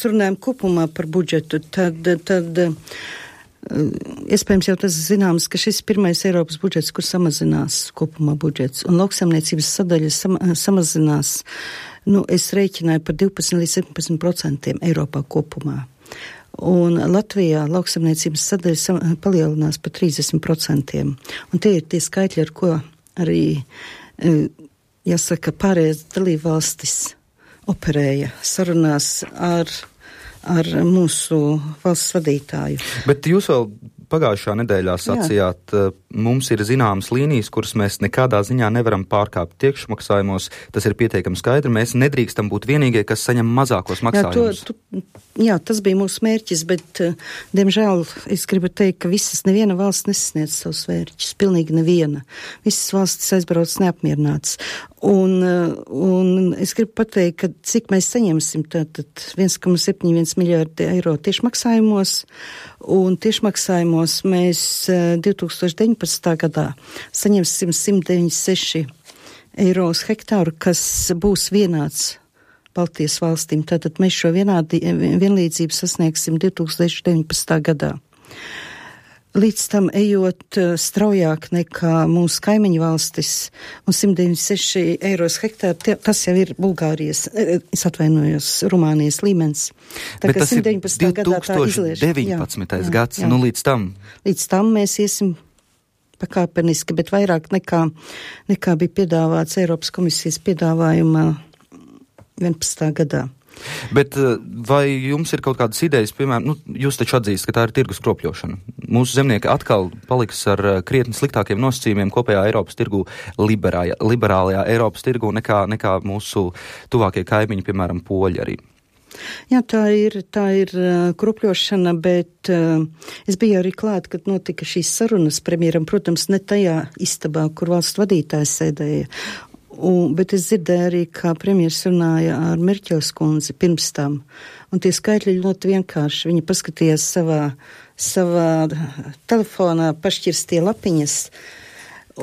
runājam kopumā par budžetu, tad iespējams jau tas zināms, ka šis pirmais Eiropas budžets, kur samazinās kopumā budžets, un lauksaimniecības sadaļa samazinās, es rēķināju par 12 līdz 17% Eiropā kopumā. Un Latvijā lauksaimniecības sadaļa palielinās par 30%. Un tie ir tie skaitļi, ar ko arī, jāsaka, pārējās dalībvalstis operēja sarunās ar mūsu valsts vadītāju. Bet jūs vēl pagājušā nedēļā sacījāt, mums ir zināmas līnijas, kuras mēs nekādā ziņā nevaram pārkāpt tiekšmaksājumos. Tas ir pietiekami skaidri. Mēs nedrīkstam būt vienīgie, kas saņem mazākos maksājumus. Jā, tas bija mūsu mērķis, bet, diemžēl, es gribu teikt, ka neviena valsts nesasniedz savus mērķus. Pilnīgi neviena. Visas valstis aizbrauc neapmierināts. Un es gribu pateikt, ka cik mēs saņemsim tātad 1,71 miljārdi eiro tiešmaksājumos, un tiešmaksājumos mēs 2019. gadā saņemsim 196 eiro uz hektāru, kas būs vienāds Baltijas valstīm. Tātad mēs šo vienlīdzību sasniegsim 2019. gadā. Līdz tam ejot straujāk nekā mūsu kaimiņu valstis, un 196 eiro uz hektāru, tas jau ir Bulgārijas, es atvainojos, Rumānijas līmenis. Bet tas ir 2019. gads, jā. Līdz tam? Līdz tam mēs iesim pakāpeniski, bet vairāk nekā bija piedāvāts Eiropas komisijas piedāvājumā 11. gadā. Bet vai jums ir kaut kādas idejas, piemēram, jūs taču atzīst, ka tā ir tirgus kropļošana. Mūsu zemnieki atkal paliks ar krietni sliktākiem nosacījumiem kopējā Eiropas tirgu, liberālajā Eiropas tirgu nekā mūsu tuvākie kaimiņi, piemēram, poļi arī. Jā, tā ir kropļošana, bet es biju arī klāt, kad notika šīs sarunas premjeram, protams, ne tajā istabā, kur valsts vadītājs sēdēja. Bet es dzirdēju arī, kā premjers runāja ar Merķels kundzi pirms tam. Un tie skaitļi ļoti vienkārši. Viņa paskatījās savā telefonā, pašķirstie lapiņas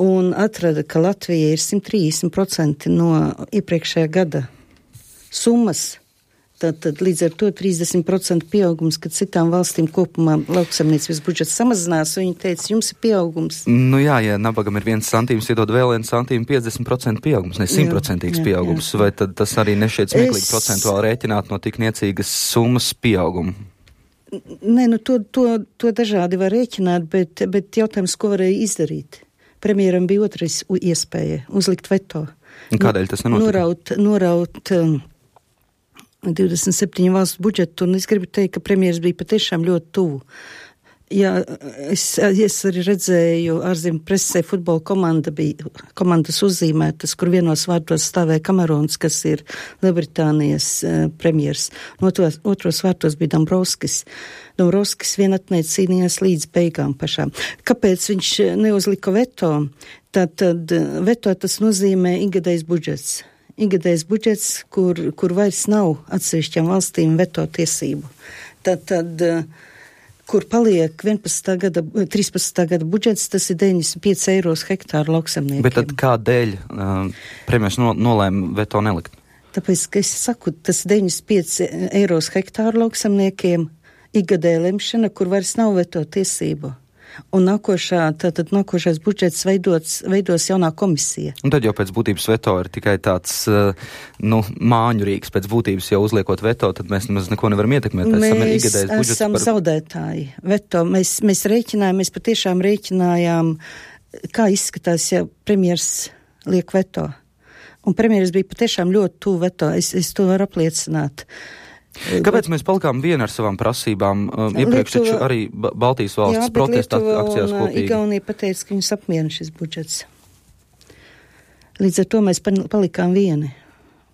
un atrada, ka Latvija ir 130% no iepriekšējā gada summas. Tad līdz ar to 30% pieaugums, kad citām valstīm kopumā lauksaimniecības budžets samazinās, un viņi teica, jums ir pieaugums. Jā, ja nabagam ir 1 centīms, iedod vēl 1 centīmu, 50% pieaugums, ne 100% pieaugums, vai tad tas arī nešķiet smieklīgi procentuāli rēķināt no tik niecīgas summas pieaugumu? Nē, to dažādi var rēķināt, bet jautājums, ko varēja izdarīt? Premjeram bija otrais iespēja uzlikt veto. Un kādēļ tas nenotika? Noraut 27 valstu budžetu, un es gribu teikt, ka premjers bija patiešām ļoti tuvu. Jā, es arī redzēju, ārzemju presē futbola komandas uzzīmētas, kur vienos vārtos stāvēja Kamerons, kas ir Lielbritānijas premjers. Otros vārtos bija Dombrovskis. Dombrovskis vien atneic cīnījās līdz beigām pašām. Kāpēc viņš neuzlika veto? Tad veto tas nozīmē ikgadējs budžets. Ikgadējs budžets, kur vairs nav atsevišķām valstīm veto tiesību. Tad kur paliek 13. gada budžets, tas ir 95 eiro uz hektāru lauksaimniekiem. Bet tad kādēļ premjers nolēma veto nelikt? Tāpēc, ka es saku, tas 95 eiro uz hektāru lauksaimniekiem, ikgadēja lemšana, kur vairs nav veto tiesību. Un nākošais budžets veidos jaunā komisija. Un tad jau pēc būtības veto ir tikai tāds, māņu rīks. Pēc būtības jau uzliekot veto, tad mēs nemaz neko nevaram ietekmēt. Mēs esam zaudētāji. Veto, mēs rēķinājām, mēs patiešām rēķinājām, kā izskatās, ja premjers liek veto. Un premjeras bija patiešām ļoti tuvu veto. Es to varu apliecināt. Kāpēc mēs palikām vieni ar savām prasībām? Iepriekš taču arī Baltijas valstis protesta akcijās kopīgi. Igaunija pateica, ka viņus apmierina šis budžets. Līdz ar to mēs palikām vieni.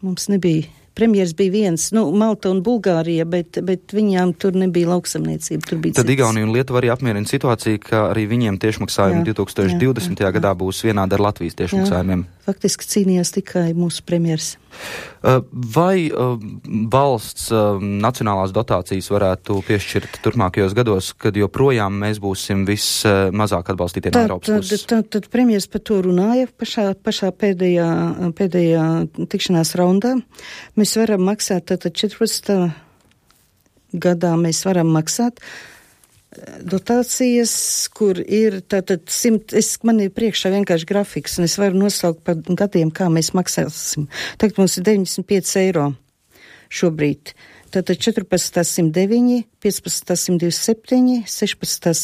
Mums nebija. Premjers bija viens, Malta un Bulgārija, bet viņām tur nebija lauksamniecība. Tur bija tad Igaunija un Lietuva arī apmierina situāciju, ka arī viņiem tiešmaksājumi 2020. gadā būs vienādi ar Latvijas tiešmaksājumiem. Faktiski cīnījās tikai mūsu premjers. Vai valsts nacionālās dotācijas varētu piešķirt turpmākajos gados, kad joprojām mēs būsim vismazāk atbalstītie no Eiropas puses? Tad premjers par to runāja pašā pēdējā tikšanās raundā. Mēs varam maksāt tātad 14. gadā mēs varam maksāt dotācijas, kur ir tātad 100, man ir priekšā vienkārši grafiks, un es varu nosaukt par gadiem, kā mēs maksāsim. Tagad mums ir 95 eiro šobrīd. Tātad 14. 109, 15. 127, 16.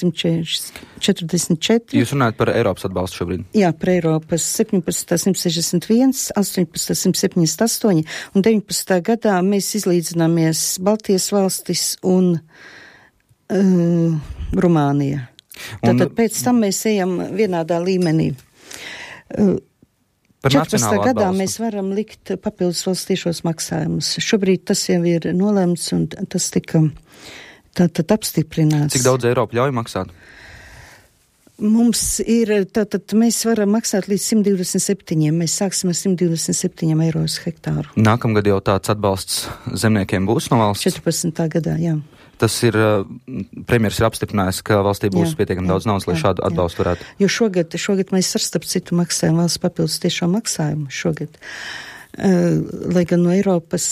144. Jūs runājat par Eiropas atbalstu šobrīd? Jā, par Eiropas 17. 161, 18. 178 un 19. gadā mēs izlīdzināmies Baltijas valstis un Rumānija. Tātad pēc tam mēs ejam vienādā līmenī. 14. gadā mēs varam likt papildus valsts tiešos maksājumus. Šobrīd tas jau ir nolemts un tas tika tātad apstiprināts. Cik daudz Eiropa ļauj maksāt? Mums ir, tātad mēs varam maksāt līdz 127. Mēs sāksim ar 127 eiro uz hektāru. Nākamgad jau tāds atbalsts zemniekiem būs no valsts? 14. gadā, jā. Tas ir, premjers ir apstiprinājis, ka valstī būs pietiekami daudz naudas, lai šādu atbalstu varētu. Jo šogad mēs ar starp citu maksājam valsts papildus tiešo maksājumu šogad. Lai gan no Eiropas,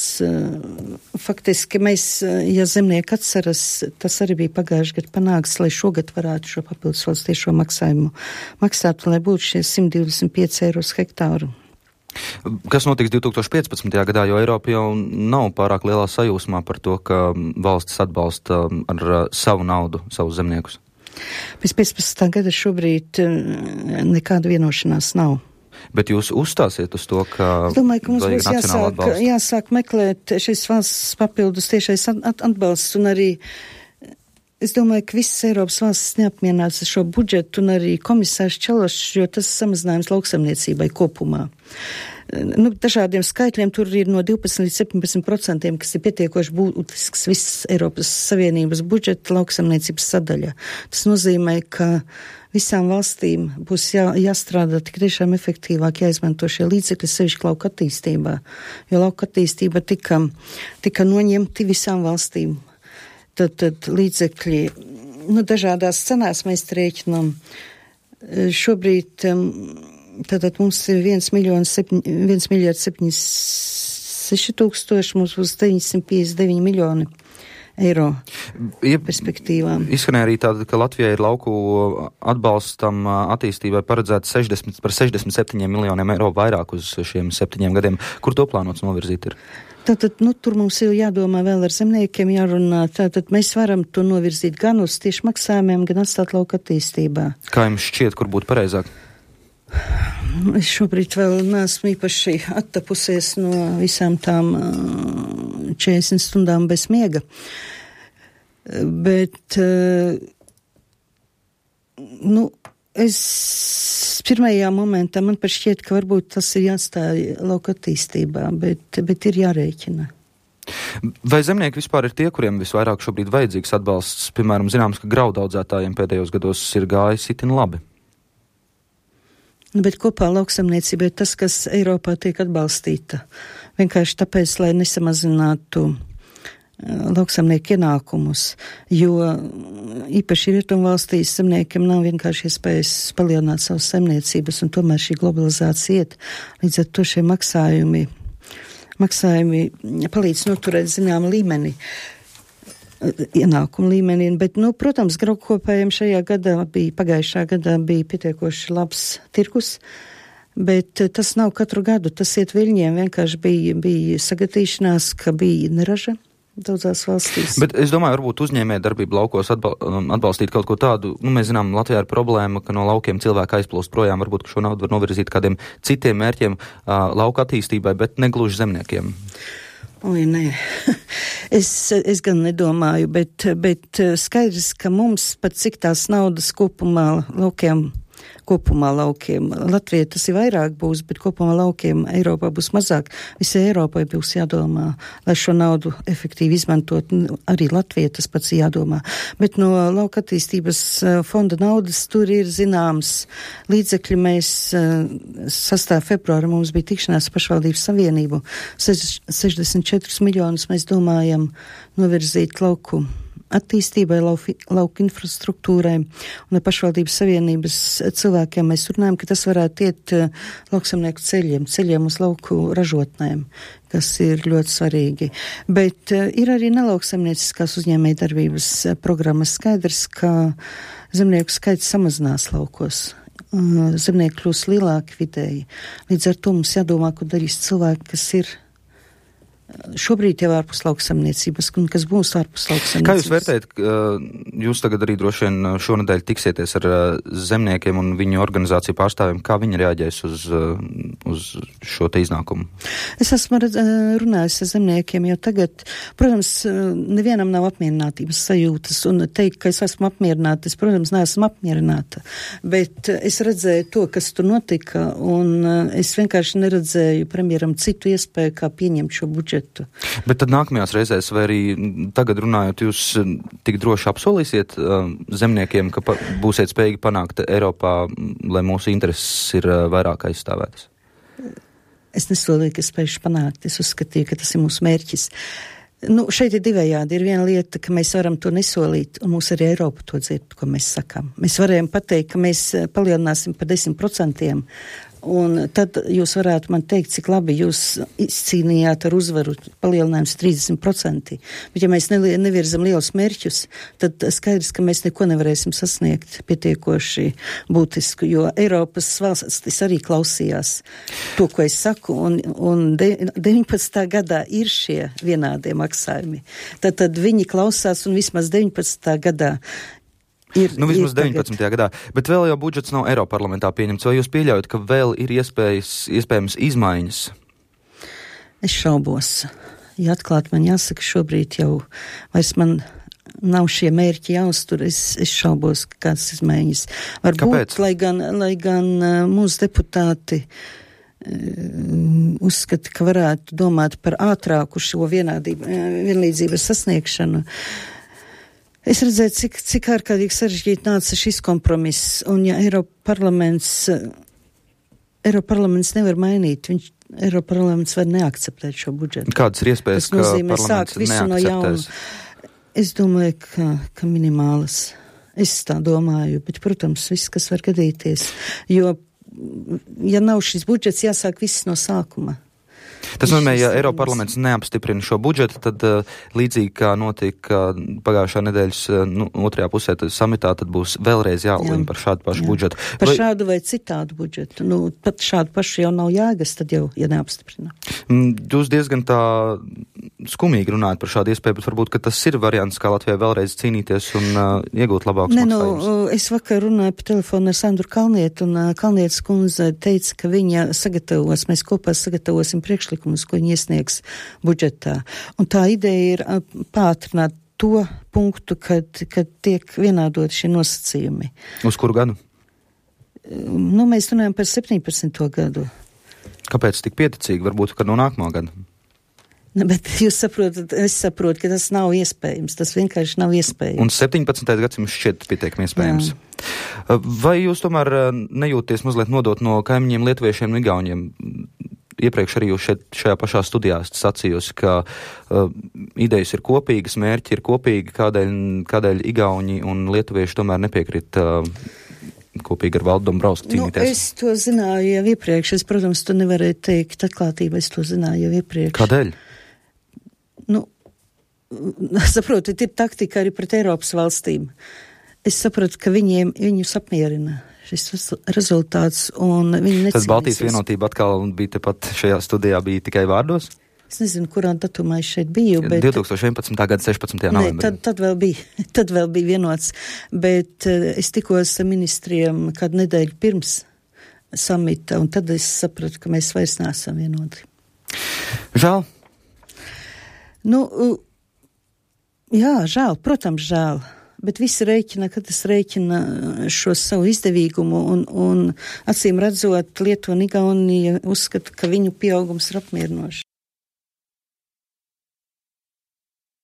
faktiski mēs, ja zemnieki atceras, tas arī bija pagājuši gadu panāks, lai šogad varētu šo papildus valsts tiešo maksājumu maksāt, lai būtu šie 125 eiro uz hektāru. Kas notiks 2015. gadā, jo Eiropa jau nav pārāk lielā sajūsmā par to, ka valstis atbalsta ar savu naudu, savus zemniekus? Pēc 15. gada šobrīd nekāda vienošanās nav. Bet jūs uzstāsiet uz to, ka... Es domāju, ka mums būs jāsāk meklēt šis valsts papildus tiešais atbalsts un arī es domāju, ka visas Eiropas valstis neapmierinās ar šo budžetu un arī komisārs Čološs, jo tas samazinājums lauksaimniecībai kopumā. Dažādiem skaitļiem tur ir no 12 līdz 17%, kas ir pietiekoši būtisks visas Eiropas Savienības budžeta lauksaimniecības sadaļa. Tas nozīmē, ka visām valstīm būs jāstrādā tik tiešām efektīvāk, jāizmanto šie līdzekļi sevišķi lauka attīstībā, jo lauka attīstība tika noņemti visām valstīm. Tad līdzekļi, dažādās cenās mēs rēķinām. Šobrīd, tātad mums ir 1 miljārds 76 tūkstoši, mums būs 959 miljoni eiro perspektīvām. Izskanēja arī tāda, ka Latvijai ir lauku atbalstam attīstībai paredzēts 67 miljoniem eiro vairāk uz šiem 7 gadiem. Kur to plānots novirzīt ir? Tātad, tur mums ir jādomā vēl ar zemniekiem, jārunā. Tātad mēs varam to novirzīt gan uz tieši maksājumiem, gan atstāt lauka attīstībā. Kā jums šķiet, kur būtu pareizāk? Es šobrīd vēl neesmu īpaši attapusies no visām tām 40 stundām bez miega. Bet, es pirmajā momentā man pat šķiet, ka varbūt tas ir jāstāja lauka attīstībā, bet ir jārēķina. Vai zemnieki vispār ir tie, kuriem visvairāk šobrīd vajadzīgs atbalsts? Piemēram, zināms, ka graudaudzētājiem pēdējos gados ir gājis itin labi. Bet kopā lauksaimniecība ir tas, kas Eiropā tiek atbalstīta. Vienkārši tāpēc, lai nesamazinātu lauksaimnieku ienākumus, jo īpaši rietumvalstīs zemniekiem nav vienkārši iespējas palielināt savas saimniecības, un tomēr šī globalizācija iet. Līdz ar to šie maksājumi palīdz noturēt zināmu līmeni, ienākumu līmenī, bet, protams, graudkopējiem pagājušā gadā bija pietiekoši labs tirgus, bet tas nav katru gadu, tas iet viļņiem, vienkārši bija sagatīšanās, ka bija neraža daudzās valstīs. Bet es domāju, varbūt uzņēmē darbību laukos atbalstīt kaut ko tādu. Mēs zinām, Latvijā ir problēma, ka no laukiem cilvēki aizplūst projām. Varbūt, ka šo naudu var novirzīt kādiem citiem mērķiem lauka attīstībai, bet negluži zemniekiem. Oi, nē. Es gan nedomāju, bet skaidrs, ka mums pat cik tās naudas kopumā laukiem Latvijai tas ir vairāk būs, bet kopumā laukiem Eiropā būs mazāk. Visai Eiropai būs jādomā, lai šo naudu efektīvi izmantot. Arī Latvijai tas pats jādomā. Bet no lauka attīstības fonda naudas tur ir zināms līdzekļi. Mēs 6. februāra mums bija tikšanās pašvaldības savienību. 64 miljonus mēs domājam novirzīt lauku attīstībai, lauku infrastruktūrai un pašvaldības savienības cilvēkiem mēs runājam, ka tas varētu iet lauksamnieku ceļiem uz lauku ražotnēm, kas ir ļoti svarīgi. Bet ir arī nelauksamnieciskās uzņēmējdarbības programmas. Skaidrs, ka zemnieku skaits samazinās laukos. Zemnieki kļūs lielāki vidēji. Līdz ar to mums jādomā, ko darīs cilvēki, kas ir šobrīd jau ārpus lauksaimniecības, un kas būs ārpus lauksaimniecības. Kā jūs vērtējat, jūs tagad arī droši vien šonedēļ tiksieties ar zemniekiem un viņu organizāciju pārstāvjiem, kā viņi reaģēs uz šo te iznākumu? Es esmu runājis ar zemniekiem jau tagad. Protams, nevienam nav apmierinātības sajūtas, un teikt, ka es esmu apmierināta, es, protams, neesmu apmierināta, bet es redzēju to, kas tur notika, un es vienkārši neredzēju premjeram citu iespēju, kā pieņemt šo budžetu. Bet tad nākamajās reizēs, vai arī tagad runājot, jūs tik droši apsolīsiet zemniekiem, ka būsiet spējīgi panākt Eiropā, lai mūsu intereses ir vairāk aizstāvētas? Es nesolīju, ka spējuši panākt. Es uzskatīju, ka tas ir mūsu mērķis. Šeit ir divējādi. Ir viena lieta, ka mēs varam to nesolīt, un mūs arī Eiropa to dzird, ko mēs sakām. Mēs varējām pateikt, ka mēs palielināsim par 10%, un tad jūs varētu man teikt, cik labi jūs izcīnījāt ar uzvaru palielinājums 30%. Bet ja mēs nevirzam lielus mērķus, tad skaidrs, ka mēs neko nevarēsim sasniegt pietiekoši būtisku, jo Eiropas valstis arī klausījās to, ko es saku, un 19. gadā ir šie vienādie maksājumi. Tad viņi klausās, un vismaz 19. gadā vismaz 19. gadā, bet vēl jau budžets nav Eiroparlamentā pieņemts. Vai jūs pieļaujat, ka vēl ir iespējams izmaiņas? Es šaubos. Ja atklāt man jāsaka, šobrīd jau vairs man nav šie mērķi jāuztur, es šaubos, kādas izmaiņas. Varbūt, lai gan mūsu deputāti uzskata, ka varētu domāt par ātrāku šo vienlīdzības sasniegšanu. Es redzēju, cik ārkārtīgi sarežģīti nāca šis kompromiss, un ja Eiroparlaments nevar mainīt, Eiroparlaments var neakceptēt šo budžetu. Kādas ir iespējas, ka parlaments neakceptēs? Es domāju, ka minimālas. Es tā domāju, bet, protams, viss, kas var gadīties, jo, ja nav šis budžets, jāsāk viss no sākuma. Tas nozīmē, ja Eiroparlaments neapstiprina šo budžetu, tad līdzīgi kā notika pagājušā nedēļas otrajā pusē samitā, tad būs vēlreiz jālem par šādu pašu budžetu. Par šādu vai citādu budžetu. Pat šādu pašu jau nav jēgas, tad jau, ja neapstiprina. Jūs diezgan tā skumīgi runājat par šādu iespēju, bet varbūt, ka tas ir variants, kā Latvijai vēlreiz cīnīties un iegūt labākus maksājumus. Es vakar runāju pa telefonu ar Sandru Kalnietu, un Kalnietes kundze teica, ka viņa mēs kopā sagatavosim priekšlikumus, ko viņi iesniegs budžetā. Un tā ideja ir pātrināt to punktu, kad tiek vienādot šie nosacījumi. Uz kuru gadu? Mēs runājam par 17. gadu. Kāpēc tik pieticīgi? Varbūt, ka no nākamā gada? Bet jūs saprotat, es saprotu, ka tas nav iespējams. Tas vienkārši nav iespējams. Un 17. gadsimts šķiet pietiekami iespējams. Jā. Vai jūs tomēr nejūties mazliet nodot no kaimiņiem lietuviešiem un igauņiem? Iepriekš arī jūs šajā pašā studijā sacījusi, ka idejas ir kopīgas, mērķi ir kopīgi, kādēļ igauņi un lietuvieši tomēr nepiekrīt kopīgi ar Valdu Dombrovskiju cīnīties. Es to zināju jau iepriekš. Es, protams, to nevarēju teikt atklātībā. Es to zināju jau iepriekš. Kādēļ? Saprotu, ir taktika arī pret Eiropas valstīm. Es saprotu, ka viņus apmierina šis rezultāts, un viņi necīnīsies. Tad Baltijas vienotība atkal bija tepat šajā studijā, bija tikai vārdos? Es nezinu, kurā datumā es šeit biju, bet 2011. gada 16. novembrī. Tad vēl bija vienots, bet es tikos ar ministriem kādu nedēļu pirms samita, un tad es sapratu, ka mēs vairs neesam vienoti. Žēl? Jā, žēl, protams, žēl. Bet visi rēķina, kad es rēķina šo savu izdevīgumu, un acīm redzot, Lietuva un Igaunija uzskata, ka viņu pieaugums ir apmierinošs.